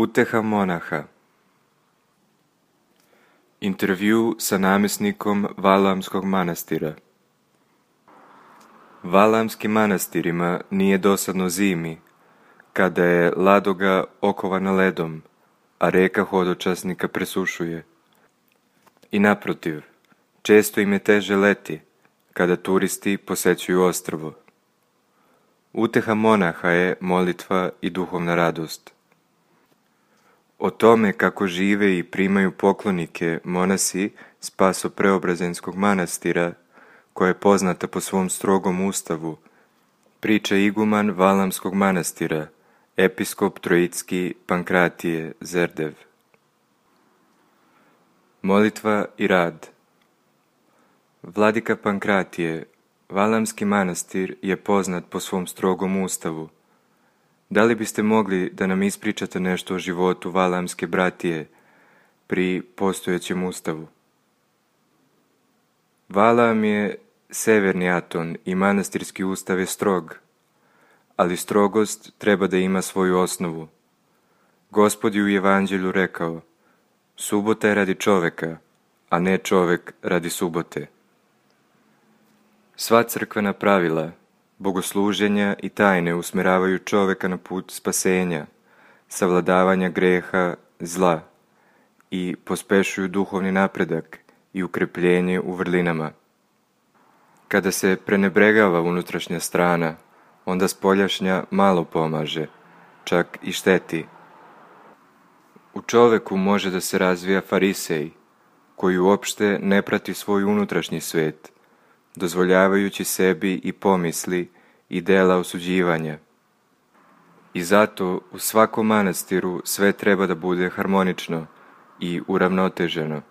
Uteha monaha. Intervju sa namjesnikom Valamskog manastira. Valamskim manastirima nije dosadno zimi, kada je Ladoga okovana ledom, a reka hodočasnika presušuje. I naprotiv, često im je teže leti, kada turisti posećuju ostrvo. Uteha monaha je molitva i duhovna radost. O tome kako žive i primaju poklonike monasi Spaso-Preobrazenskog manastira, koja je poznata po svom strogom ustavu, priča iguman Valamskog manastira, episkop Trojitski Pankratije Zerdev. Molitva i rad. Vladika Pankratije, Valamski manastir je poznat po svom strogom ustavu. Da li biste mogli da nam ispričate nešto o životu Valamske bratije pri postojećem ustavu? Valam je severni aton i manastirski ustav je strog, ali strogost treba da ima svoju osnovu. Gospod je u Evanđelju rekao: subota je radi čoveka, a ne čovek radi subote. Sva crkvena pravila, bogosluženja i tajne usmeravaju čoveka na put spasenja, savladavanja greha, zla i pospešuju duhovni napredak i ukrepljenje u vrlinama. Kada se prenebregava unutrašnja strana, onda spoljašnja malo pomaže, čak i šteti. U čoveku može da se razvija farisej, koji uopšte ne prati svoj unutrašnji svet, dozvoljavajući sebi i pomisli i dela osuđivanja. I zato u svakom manastiru sve treba da bude harmonično i uravnoteženo.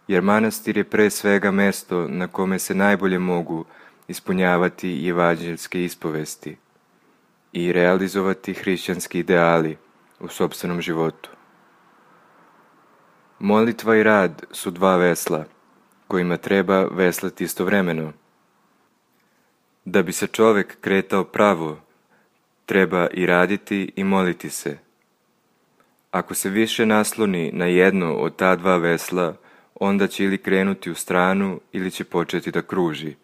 Jer manastir je pre svega mesto na kome se najbolje mogu ispunjavati evanđeljske ispovesti i realizovati hrišćanski ideali u sopstvenom životu. Molitva i rad su dva vesla, kojima treba veslati istovremeno. Da bi se čovek kretao pravo, treba i raditi i moliti se. Ako se više nasloni na jedno od ta dva vesla, onda će ili krenuti u stranu ili će početi da kruži.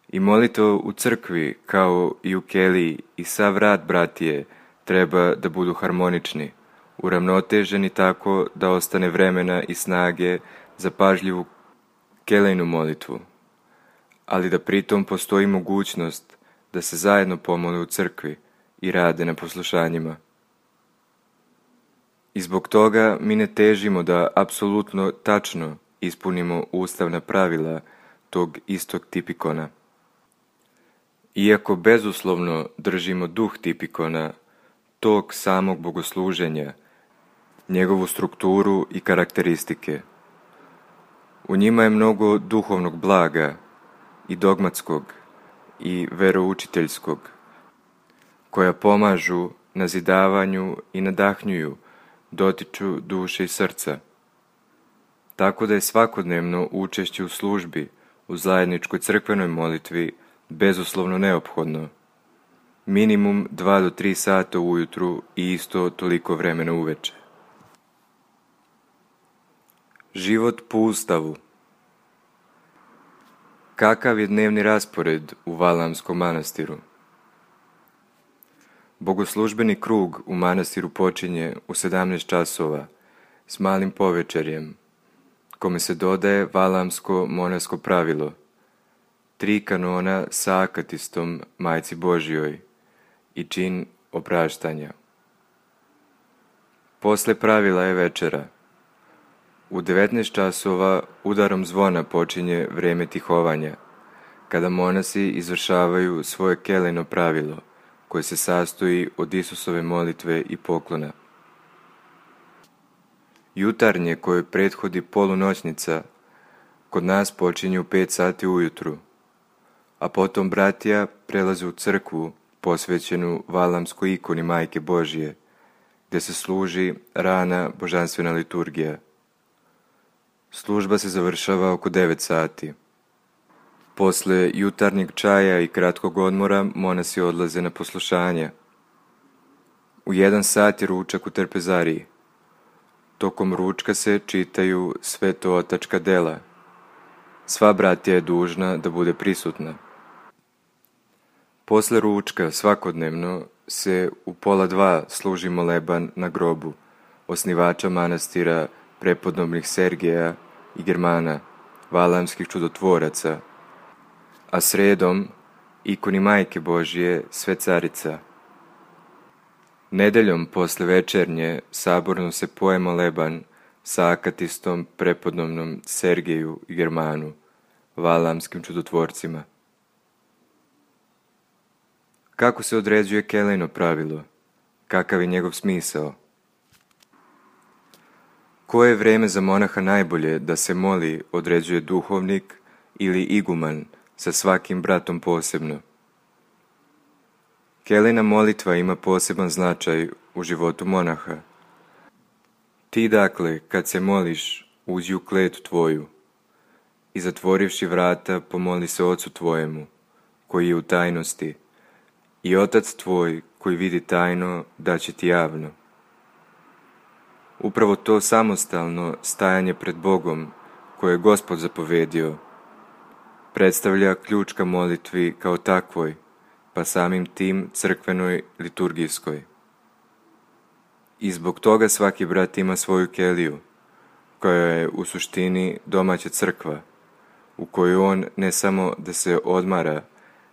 I molitva u crkvi, kao i u keliji, i sav rad bratije treba da budu harmonični, uravnoteženi tako da ostane vremena i snage za pažljivu kelejnu molitvu, ali da pritom postoji mogućnost da se zajedno pomole u crkvi i rade na poslušanjima. I zbog toga mi ne težimo da apsolutno tačno ispunimo ustavna pravila tog istog tipikona. Iako bezuslovno držimo duh tipikona, tog samog bogosluženja, njegovu strukturu i karakteristike. U njima je mnogo duhovnog blaga i dogmatskog i veroučiteljskog, koja pomažu nazidavanju i nadahnjuju, dotiču duše i srca. Tako da je svakodnevno učešće u službi, u zajedničkoj crkvenoj molitvi, bezuslovno neophodno. Minimum 2 do 3 sata ujutru i isto toliko vremena uveče. Život po ustavu. Kakav je dnevni raspored u Valamskom manastiru? Bogoslužbeni krug u manastiru počinje u 17 časova s malim povečerjem, kome se dodaje valamsko monaško pravilo, 3 kanona sa akatistom Majci Božjoj i čin opraštanja. Posle pravila je večera. U 19 časova udarom zvona počinje vreme tihovanja, kada monasi izvršavaju svoje kelejno pravilo, koje se sastoji od Isusove molitve i poklona. Jutarnje, koje prethodi polunoćnica, kod nas počinje u 5 sati ujutru, a potom bratija prelaze u crkvu posvećenu Valamskoj ikoni Majke Božje, gde se služi rana božanstvena liturgija. Služba se završava oko 9 sati. Posle jutarnjeg čaja i kratkog odmora monasi odlaze na poslušanja. U 1 sat je ručak u trpezariji. Tokom ručka se čitaju svetootačka dela. Sva bratija je dužna da bude prisutna. Posle ručka svakodnevno se u 1:30 služi moleban na grobu osnivača manastira prepodobnih Sergeja i Germana, valamskih čudotvoraca, a sredom ikoni Majke Božje Svecarica. Nedeljom posle večernje saborno se poje moleban sa akatistom prepodobnom Sergeju i Germanu, valamskim čudotvorcima. Kako se određuje kelejno pravilo? Kakav je njegov smisao? Koje je vreme za monaha najbolje da se moli određuje duhovnik ili iguman sa svakim bratom posebno? Kelejna molitva ima poseban značaj u životu monaha. Ti dakle, kad se moliš, uđi u kletu tvoju i zatvorivši vrata pomoli se Ocu tvojemu, koji je u tajnosti, i Otac tvoj koji vidi tajno daće ti javno. Upravo to samostalno stajanje pred Bogom, koje je Gospod zapovedio, predstavlja ključ ka molitvi kao takvoj, pa samim tim crkvenoj liturgijskoj. I zbog toga svaki brat ima svoju keliju, koja je u suštini domaća crkva, u kojoj on ne samo da se odmara,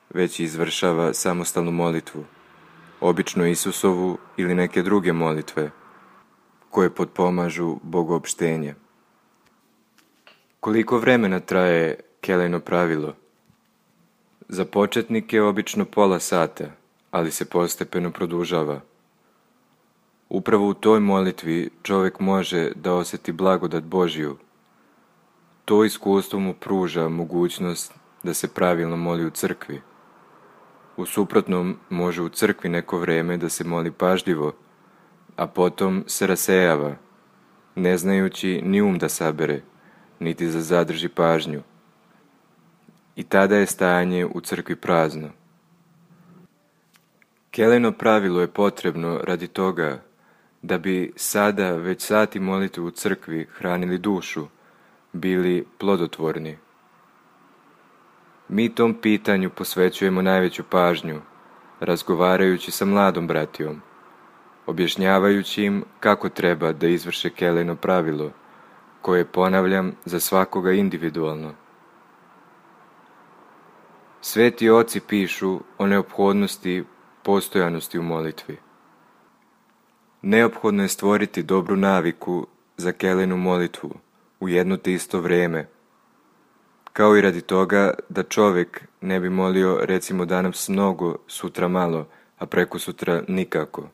već izvršava samostalnu molitvu, obično Isusovu ili neke druge molitve, koje potpomažu bogoopštenje. Koliko vremena traje kelejno pravilo? Za početnike je obično pola sata, ali se postepeno produžava. Upravo u toj molitvi čovjek može da osjeti blagodat Božju. To iskustvo mu pruža mogućnost da se pravilno moli u crkvi. U suprotnom može u crkvi neko vreme da se moli pažljivo, a potom se rasejava, ne znajući ni da sabere, niti da zadrži pažnju. I tada je stajanje u crkvi prazno. Kelejno pravilo je potrebno radi toga da bi sada već sati molitve u crkvi hranili dušu, bili plodotvorni. Mi tom pitanju posvećujemo najveću pažnju, razgovarajući sa mladom bratijom, objašnjavajući im kako treba da izvrše kelejno pravilo, koje ponavljam za svakoga individualno. Sveti oci pišu o neophodnosti postojanosti u molitvi. Neophodno je stvoriti dobru naviku za kelejnu molitvu u jedno te isto vreme, kao i radi toga da čovjek ne bi molio recimo danas mnogo, sutra malo, a prekosutra nikako.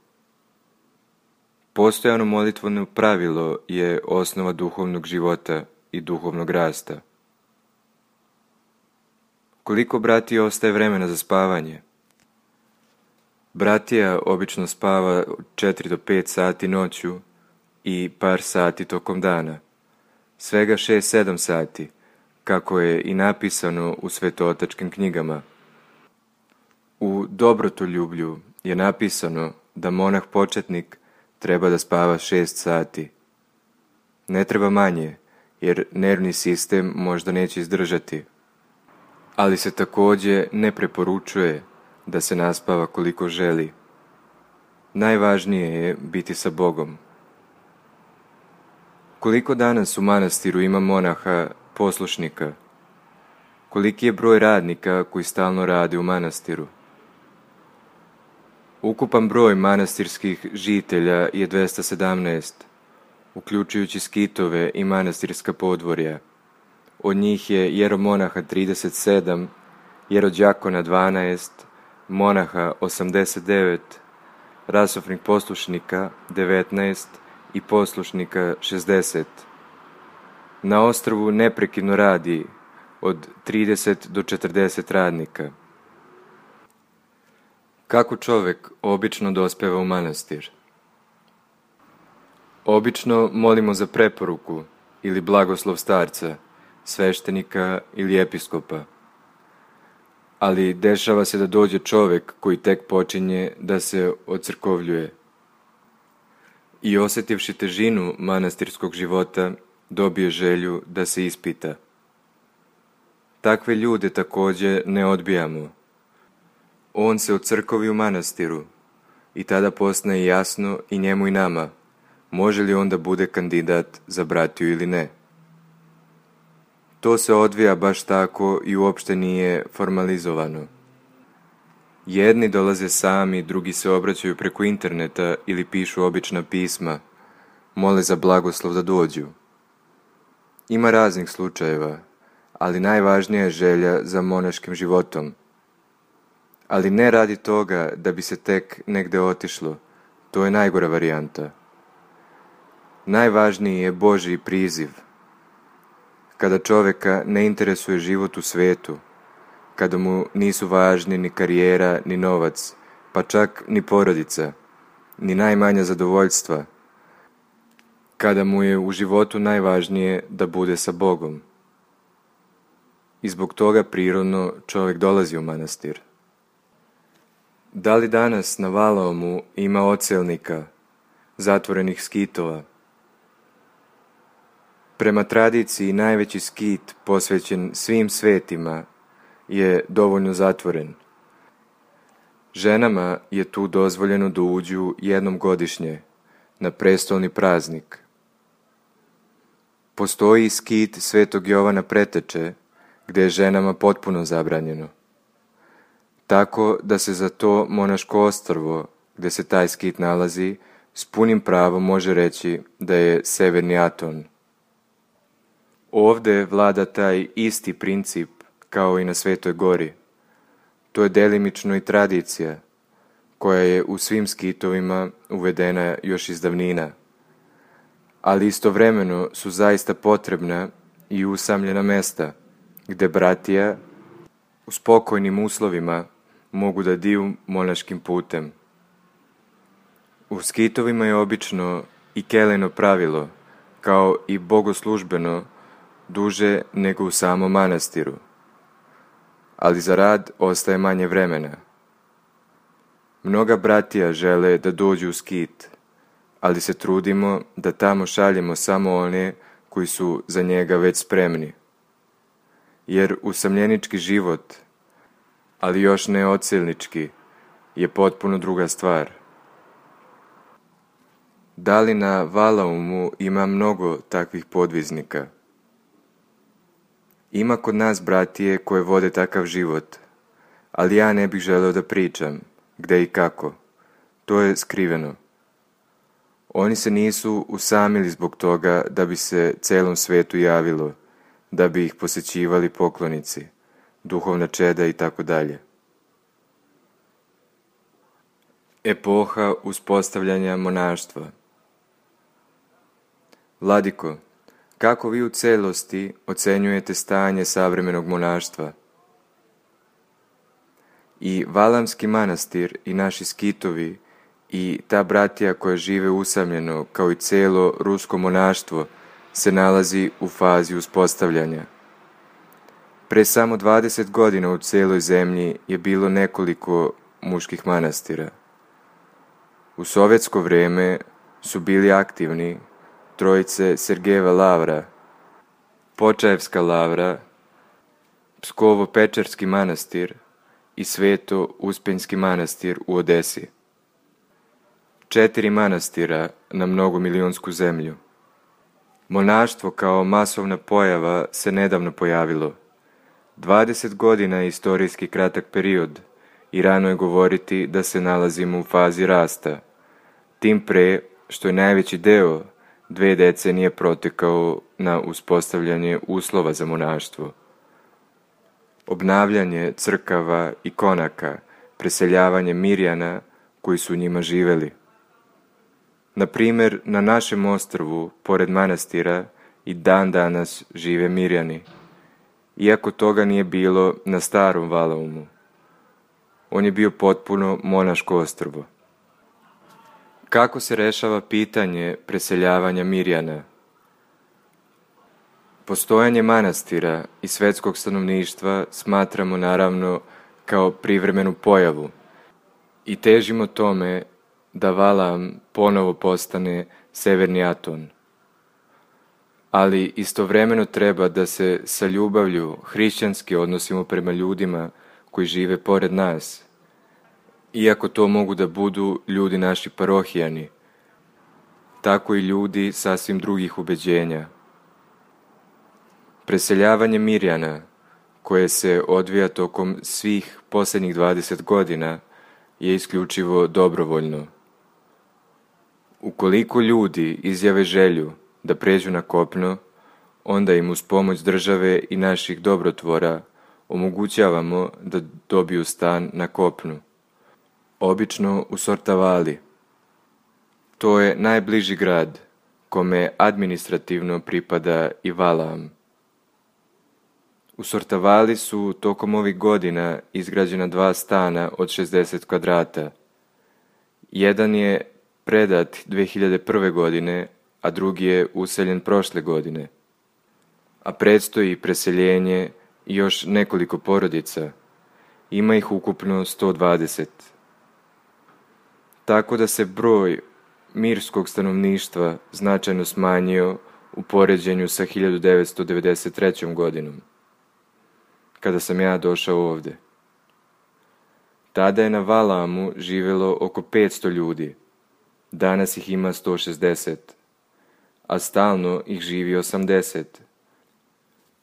Postojano molitveno pravilo je osnova duhovnog života i duhovnog rasta. Koliko bratija ostaje vremena za spavanje? Bratija obično spava 4 do 5 sati noću i par sati tokom dana. Svega 6-7 sati, kako je i napisano u svetootačkim knjigama. U Dobrotoljublju je napisano da monah početnik treba da spava 6 sati. Ne treba manje, jer nervni sistem možda neće izdržati. Ali se također ne preporučuje da se naspava koliko želi. Najvažnije je biti sa Bogom. Koliko danas u manastiru ima monaha poslušnika? Koliki je broj radnika koji stalno rade u manastiru? Ukupan broj manastirskih žitelja je 217, uključujući skitove i manastirska podvorja. Od njih je jeromonaha 37, jerodjakona 12, monaha 89, rasofnih poslušnika 19 i poslušnika 60. Na ostrvu neprekidno radi od 30 do 40 radnika. Kako čovjek obično dospeva u manastir? Obično molimo za preporuku ili blagoslov starca, sveštenika ili episkopa. Ali dešava se da dođe čovjek koji tek počinje da se ocrkovljuje i osjetivši težinu manastirskog života, dobije želju da se ispita. Takve ljude također ne odbijamo. On se ucrkovi u manastiru i tada postaje jasno i njemu i nama, može li on da bude kandidat za bratiju ili ne. To se odvija baš tako i uopšte nije formalizovano. Jedni dolaze sami, drugi se obraćaju preko interneta ili pišu obična pisma, mole za blagoslov da dođu. Ima raznih slučajeva, ali najvažnija je želja za monaškim životom. Ali ne radi toga da bi se tek negde otišlo, to je najgora varijanta. Najvažniji je Božji priziv. Kada čovjeka ne interesuje život u svetu, kada mu nisu važni ni karijera, ni novac, pa čak ni porodica, ni najmanja zadovoljstva, kada mu je u životu najvažnije da bude sa Bogom. I zbog toga prirodno čovjek dolazi u manastir. Da li danas na Valaomu ima odselnika, zatvorenih skitova? Prema tradiciji najveći skit posvećen svim svetima je dovoljno zatvoren. Ženama je tu dozvoljeno da uđu jednom godišnje, na prestolni praznik. Postoji i skit Svetog Jovana Preteče, gdje je ženama potpuno zabranjeno. Tako da se za to monaško ostrvo, gdje se taj skit nalazi, s punim pravom može reći da je severni Aton. Ovdje vlada taj isti princip kao i na Svetoj Gori. To je delimično i tradicija, koja je u svim skitovima uvedena još iz davnina, ali istovremeno su zaista potrebna i usamljena mesta, gdje bratija u spokojnim uslovima mogu da diju monaškim putem. U skitovima je obično i keleno pravilo, kao i bogoslužbeno, duže nego u samom manastiru, ali za rad ostaje manje vremena. Mnoga bratija žele da dođu u skit, ali se trudimo da tamo šaljemo samo one koji su za njega već spremni. Jer usamljenički život, ali još ne odselnički, je potpuno druga stvar. Da li na Valaomu ima mnogo takvih podviznika? Ima kod nas bratije koje vode takav život, ali ja ne bih želeo da pričam, gde i kako. To je skriveno. Oni se nisu usamili zbog toga da bi se celom svetu javilo, da bi ih posećivali poklonici, duhovna čeda i tako dalje. Epoha uspostavljanja monaštva. Vladiko, kako vi u celosti ocenjujete stanje savremenog monaštva? I Valamski manastir i naši skitovi i ta bratija koja žive usamljeno kao i celo rusko monaštvo se nalazi u fazi uspostavljanja. Pre samo 20 godina u celoj zemlji je bilo nekoliko muških manastira. U sovjetsko vrijeme su bili aktivni trojice Sergejeva Lavra, Počaevska Lavra, Pskovo-Pečerski manastir i Sveto-Uspenjski manastir u Odesi. 4 manastira na mnogomilionsku zemlju. Monaštvo kao masovna pojava se nedavno pojavilo. 20 godina je istorijski kratak period i rano je govoriti da se nalazimo u fazi rasta, tim pre što je najveći deo 2 decenije protekao na uspostavljanje uslova za monaštvo. Obnavljanje crkava i konaka, preseljavanje Mirjana koji su u njima živeli. Na primjer, na našem ostrvu, pored manastira, i dan danas žive Mirjani, iako toga nije bilo na starom Valaomu. On je bio potpuno monaško ostrvo. Kako se rešava pitanje preseljavanja Mirjana? Postojanje manastira i svetskog stanovništva smatramo naravno kao privremenu pojavu i težimo tome da Valam ponovo postane severni Aton. Ali istovremeno treba da se sa ljubavlju hrišćanski odnosimo prema ljudima koji žive pored nas, iako to mogu da budu ljudi naši parohijani, tako i ljudi sasvim drugih ubeđenja. Preseljavanje Mirjana, koje se odvija tokom svih posljednjih 20 godina, je isključivo dobrovoljno. Ukoliko ljudi izjave želju da pređu na kopno, onda im uz pomoć države i naših dobrotvora omogućavamo da dobiju stan na kopnu, obično u Sortavali. To je najbliži grad kome administrativno pripada i Valam. U Sortavali su tokom ovih godina izgrađena 2 stana od 60 kvadrata. Jedan je predat 2001. godine, a drugi je useljen prošle godine. A predstoji preseljenje i još nekoliko porodica. Ima ih ukupno 120. Tako da se broj mirskog stanovništva značajno smanjio u poređenju sa 1993. godinom, kada sam ja došao ovde. Tada je na Valamu živjelo oko 500 ljudi, danas ih ima 160, a stalno ih živi 80.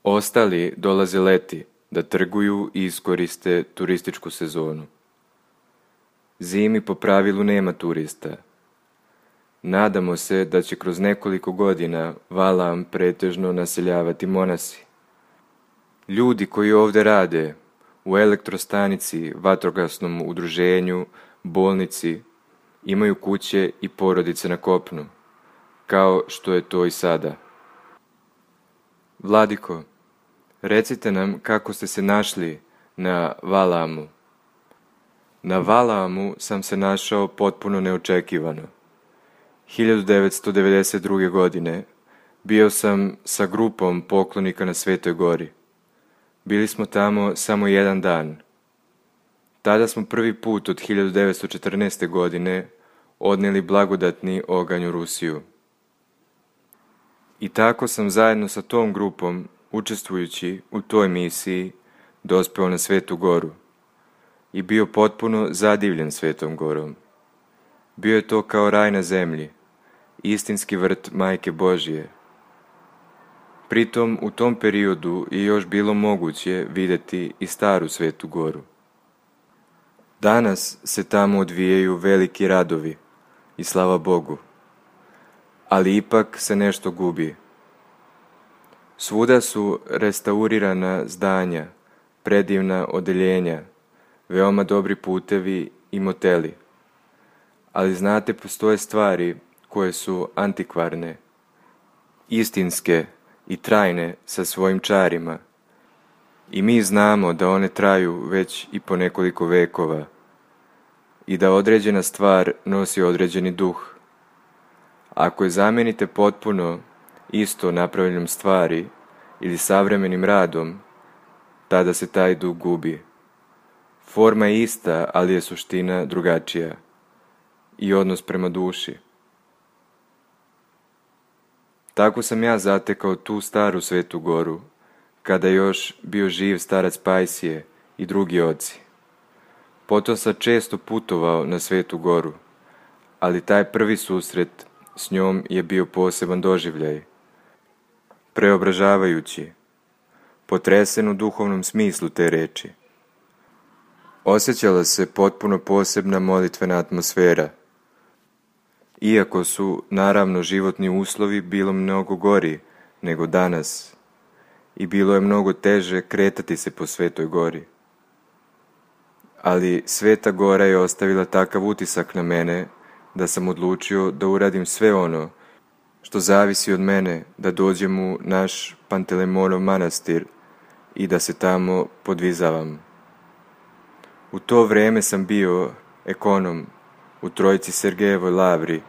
Ostali dolaze leti da trguju i iskoriste turističku sezonu. Zimi po pravilu nema turista. Nadamo se da će kroz nekoliko godina Valam pretežno naseljavati monasi. Ljudi koji ovdje rade u elektrostanici, vatrogasnom udruženju, bolnici, imaju kuće i porodice na kopnu, kao što je to i sada. Vladiko, recite nam kako ste se našli na Valamu. Na Valamu sam se našao potpuno neočekivano. 1992. godine bio sam sa grupom poklonika na Svetoj Gori. Bili smo tamo samo jedan dan. Tada smo prvi put od 1914. godine odnijeli blagodatni oganj u Rusiju. I tako sam zajedno sa tom grupom, učestvujući u toj misiji, dospeo na Svetu Goru i bio potpuno zadivljen Svetom Gorom. Bio je to kao raj na zemlji, istinski vrt Majke Božje. Pritom u tom periodu je još bilo moguće vidjeti i staru Svetu Goru. Danas se tamo odvijaju veliki radovi i slava Bogu, ali ipak se nešto gubi. Svuda su restaurirana zdanja, predivna odeljenja, veoma dobri putevi i moteli. Ali znate, postoje stvari koje su antikvarne, istinske i trajne sa svojim čarima. I mi znamo da one traju već i po nekoliko vekova i da određena stvar nosi određeni duh. Ako je zamijenite potpuno isto napravljenom stvari ili savremenim radom, tada se taj duh gubi. Forma je ista, ali je suština drugačija i odnos prema duši. Tako sam ja zatekao tu staru Svetu Goru, kada je još bio živ starac Pajsije i drugi oci. Potom sam često putovao na Svetu Goru, ali taj prvi susret s njom je bio poseban doživljaj. Preobražavajući, potresen u duhovnom smislu te reči. Osjećala se potpuno posebna molitvena atmosfera. Iako su, naravno, životni uslovi bilo mnogo gori nego danas i bilo je mnogo teže kretati se po Svetoj Gori. Ali Sveta Gora je ostavila takav utisak na mene da sam odlučio da uradim sve ono što zavisi od mene da dođem u naš Pantelemonov manastir i da se tamo podvizavam. U to vrijeme sam bio ekonom u Trojici Sergejevoj lavri,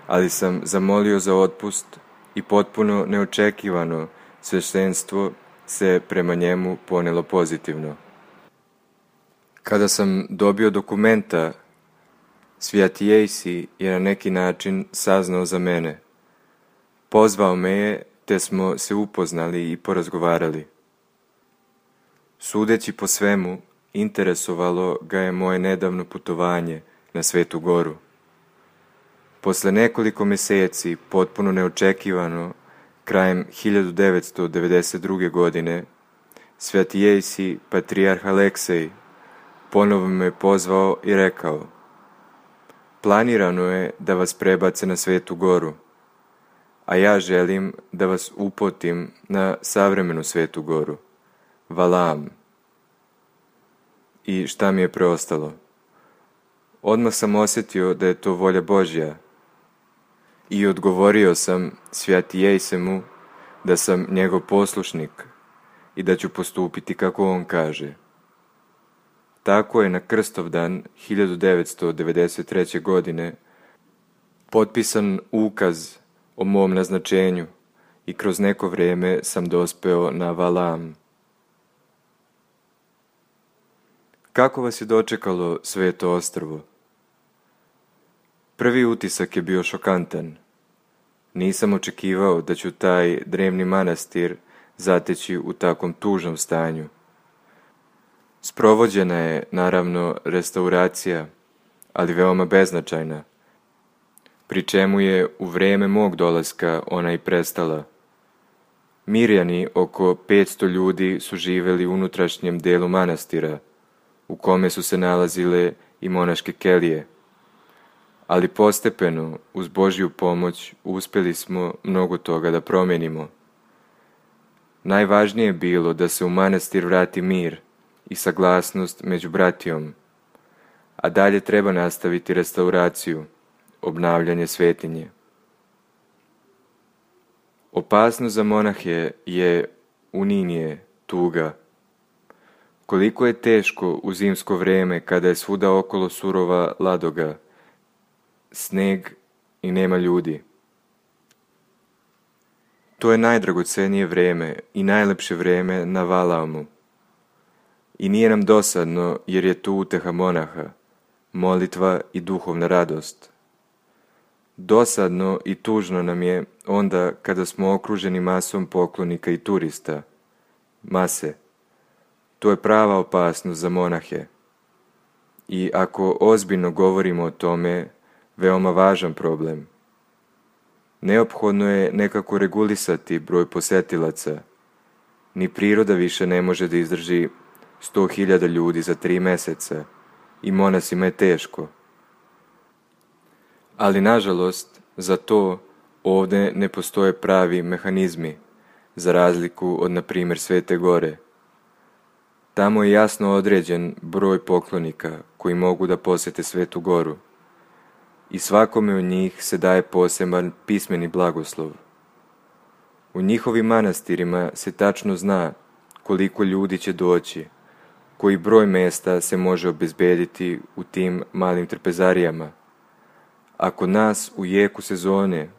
ali sam zamolio za otpust i potpuno neočekivano sveštenstvo se prema njemu ponelo pozitivno. Kada sam dobio dokumenta, Svijati Jejsi je na neki način saznao za mene. Pozvao me je, te smo se upoznali i porazgovarali. Sudeći po svemu, interesovalo ga je moje nedavno putovanje na Svetu Goru. Posle nekoliko mjeseci, potpuno neočekivano, krajem 1992. godine, Sveti Jejsi, patrijarh Aleksej, ponovo me pozvao i rekao: planirano je da vas prebace na Svetu Goru, a ja želim da vas uputim na savremenu Svetu Goru, Valaam. I šta mi je preostalo? Odmah sam osjetio da je to volja Božja i odgovorio sam Sveti Jejsemu da sam njegov poslušnik i da ću postupiti kako on kaže. Tako je na Krstovdan 1993. godine potpisan ukaz o mom naznačenju i kroz neko vrijeme sam dospeo na Valaam. Kako vas je dočekalo Sveto ostrvo? Prvi utisak je bio šokantan. Nisam očekivao da ću taj drevni manastir zateći u takvom tužnom stanju. Sprovođena je, naravno, restauracija, ali veoma beznačajna, pri čemu je u vrijeme mog dolaska ona i prestala. Mirjani, oko 500 ljudi, su živjeli u unutrašnjem delu manastira, u kome su se nalazile i monaške kelije. Ali postepeno, uz Božju pomoć, uspjeli smo mnogo toga da promijenimo. Najvažnije je bilo da se u manastir vrati mir i saglasnost među bratijom, a dalje treba nastaviti restauraciju, obnavljanje svetinje. Opasnost za monahe je uninije, tuga. Koliko je teško u zimsko vrijeme kada je svuda okolo surova ladoga, sneg i nema ljudi. To je najdragocenije vrijeme i najlepše vrijeme na Valaamu. I nije nam dosadno jer je tu uteha monaha, molitva i duhovna radost. Dosadno i tužno nam je onda kada smo okruženi masom poklonika i turista. Mase. To je prava opasnost za monahe. I ako ozbiljno govorimo o tome, veoma važan problem. Neophodno je nekako regulisati broj posetilaca. Ni priroda više ne može da izdrži 100.000 ljudi za 3 mjeseca i monasima je teško. Ali nažalost, za to ovdje ne postoje pravi mehanizmi, za razliku od, na primjer, Svete Gore. Tamo je jasno određen broj poklonika koji mogu da posjete Svetu Goru i svakome od njih se daje poseban pismeni blagoslov. U njihovim manastirima se tačno zna koliko ljudi će doći, koji broj mjesta se može obezbediti u tim malim trpezarijama. Ako nas u jeku sezone,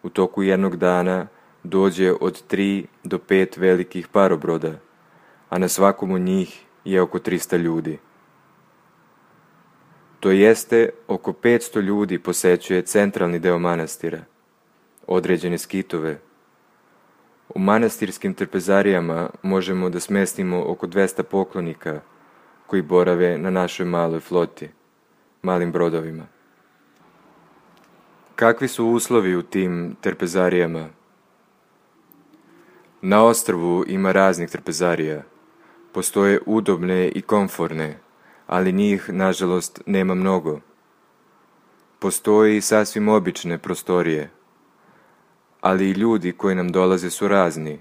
u toku jednog dana, dođe od 3 do 5 velikih parobroda, a na svakom od njih je oko 300 ljudi. To jeste, oko 500 ljudi posećuje centralni deo manastira, određene skitove. U manastirskim trpezarijama možemo da smestimo oko 200 poklonika koji borave na našoj maloj floti, malim brodovima. Kakvi su uslovi u tim trpezarijama? Na ostrvu ima raznih trpezarija. Postoje udobne i komforne, ali njih, nažalost, nema mnogo. Postoje i sasvim obične prostorije, ali i ljudi koji nam dolaze su razni.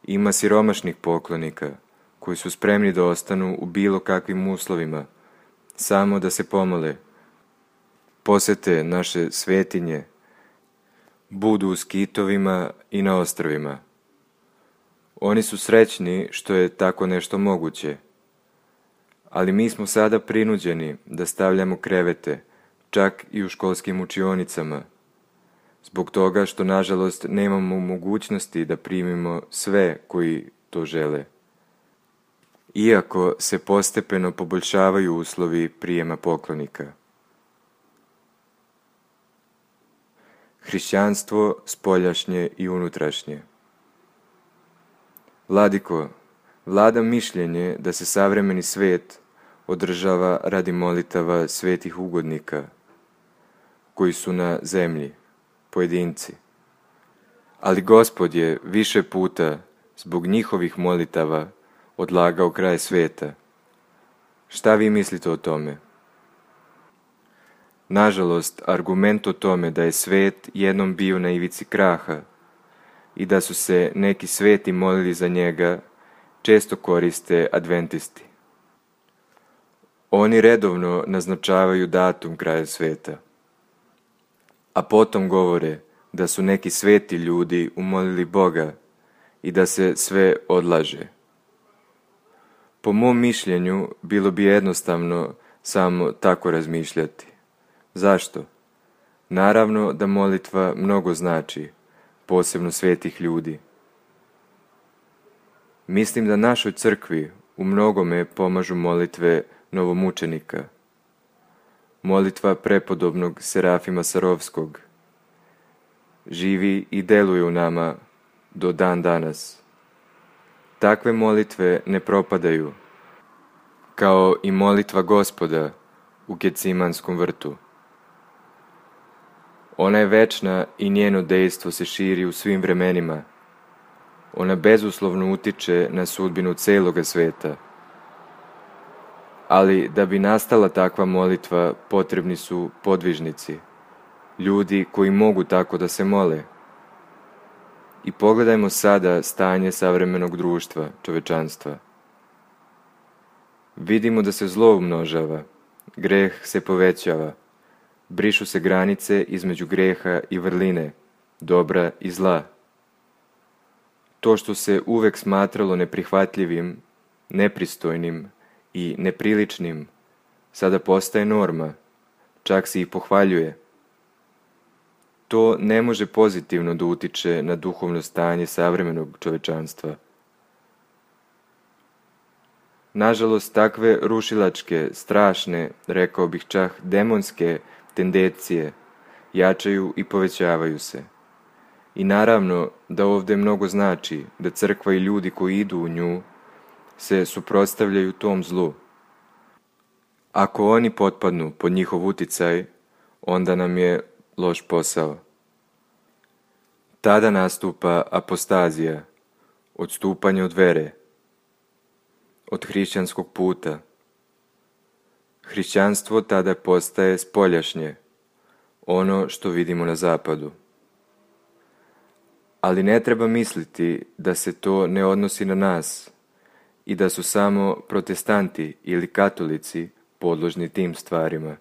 Ima siromašnih poklonika, koji su spremni da ostanu u bilo kakvim uslovima, samo da se pomole, posete naše svetinje, budu u skitovima i na ostrvima. Oni su srećni što je tako nešto moguće, ali mi smo sada prinuđeni da stavljamo krevete, čak i u školskim učionicama, zbog toga što, nažalost, nemamo mogućnosti da primimo sve koji to žele. Iako se postepeno poboljšavaju uslovi prijema poklonika. hrišćanstvo spoljašnje i unutrašnje. Vladiko, vladam mišljenje da se savremeni svet održava radi molitava svetih ugodnika, koji su na zemlji, pojedinci. Ali Gospod je više puta zbog njihovih molitava odlagao kraj sveta. Šta vi mislite o tome? Nažalost, argument o tome da je svet jednom bio na ivici kraha i da su se neki sveti molili za njega, često koriste adventisti. Oni redovno naznačavaju datum kraja sveta, a potom govore da su neki sveti ljudi umolili Boga i da se sve odlaže. Po mom mišljenju, bilo bi jednostavno samo tako razmišljati. Zašto? Naravno da molitva mnogo znači, posebno svetih ljudi. Mislim da našoj crkvi u mnogome pomažu molitve novomučenika, molitva prepodobnog Serafima Sarovskog, živi i deluje u nama do dan danas. Takve molitve ne propadaju, kao i molitva Gospoda u Gecimanskom vrtu. Ona je večna i njeno dejstvo se širi u svim vremenima. Ona bezuslovno utiče na sudbinu celoga sveta. Ali da bi nastala takva molitva, potrebni su podvižnici, ljudi koji mogu tako da se mole. I pogledajmo sada stanje savremenog društva, čovečanstva. Vidimo da se zlo umnožava, greh se povećava, brišu se granice između greha i vrline, dobra i zla. To što se uvek smatralo neprihvatljivim, nepristojnim i nepriličnim, sada postaje norma, čak se i pohvaljuje. To ne može pozitivno da utiče na duhovno stanje savremenog čovečanstva. Nažalost, takve rušilačke, strašne, rekao bih čak demonske tendencije jačaju i povećavaju se. I naravno da ovdje mnogo znači da crkva i ljudi koji idu u nju se suprotstavljaju tom zlu. Ako oni potpadnu pod njihov uticaj, onda nam je loš posao. Tada nastupa apostazija, odstupanje od vere, od hrišćanskog puta. Hrišćanstvo tada postaje spoljašnje, ono što vidimo na zapadu. Ali ne treba misliti da se to ne odnosi na nas i da su samo protestanti ili katolici podložni tim stvarima.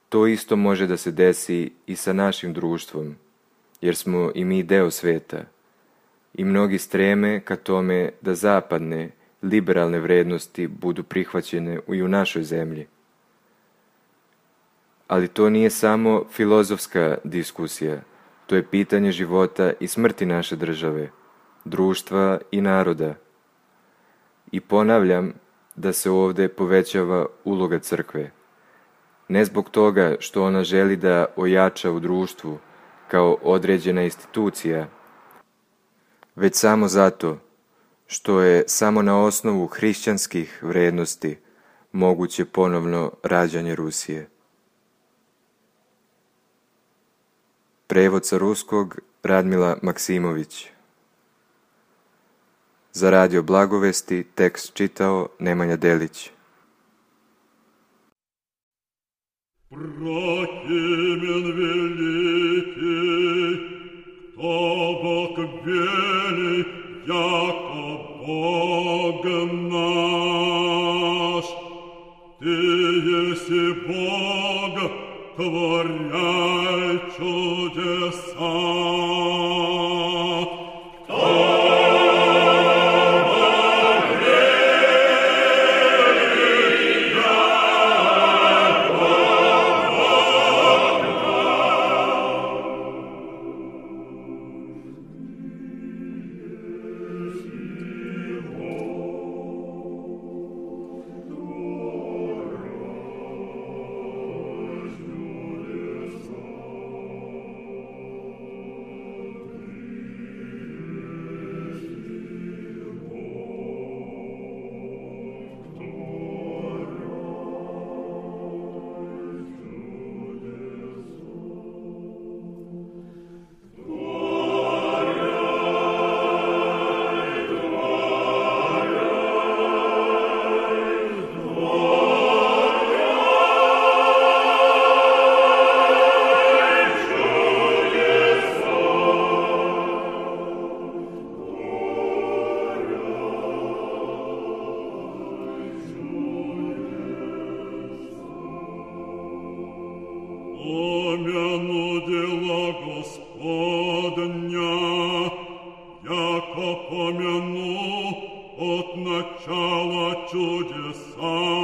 To isto može da se desi i sa našim društvom, jer smo i mi deo sveta i mnogi streme ka tome da zapadne, liberalne vrednosti budu prihvaćene i u našoj zemlji. Ali to nije samo filozofska diskusija, to je pitanje života i smrti naše države, društva i naroda. I ponavljam da se ovdje povećava uloga crkve. Ne zbog toga što ona želi da ojača u društvu kao određena institucija, već samo zato što je samo na osnovu hrišćanskih vrednosti moguće ponovno rađanje Rusije. Prevod sa ruskog Radmila Maksimović. Za Radio Blagovesti tekst čitao Nemanja Delić. Прохимен великий, кто Бог вели, яко Бог наш. Ты еси Бог, творяй чудеса. помяну от начала чудеса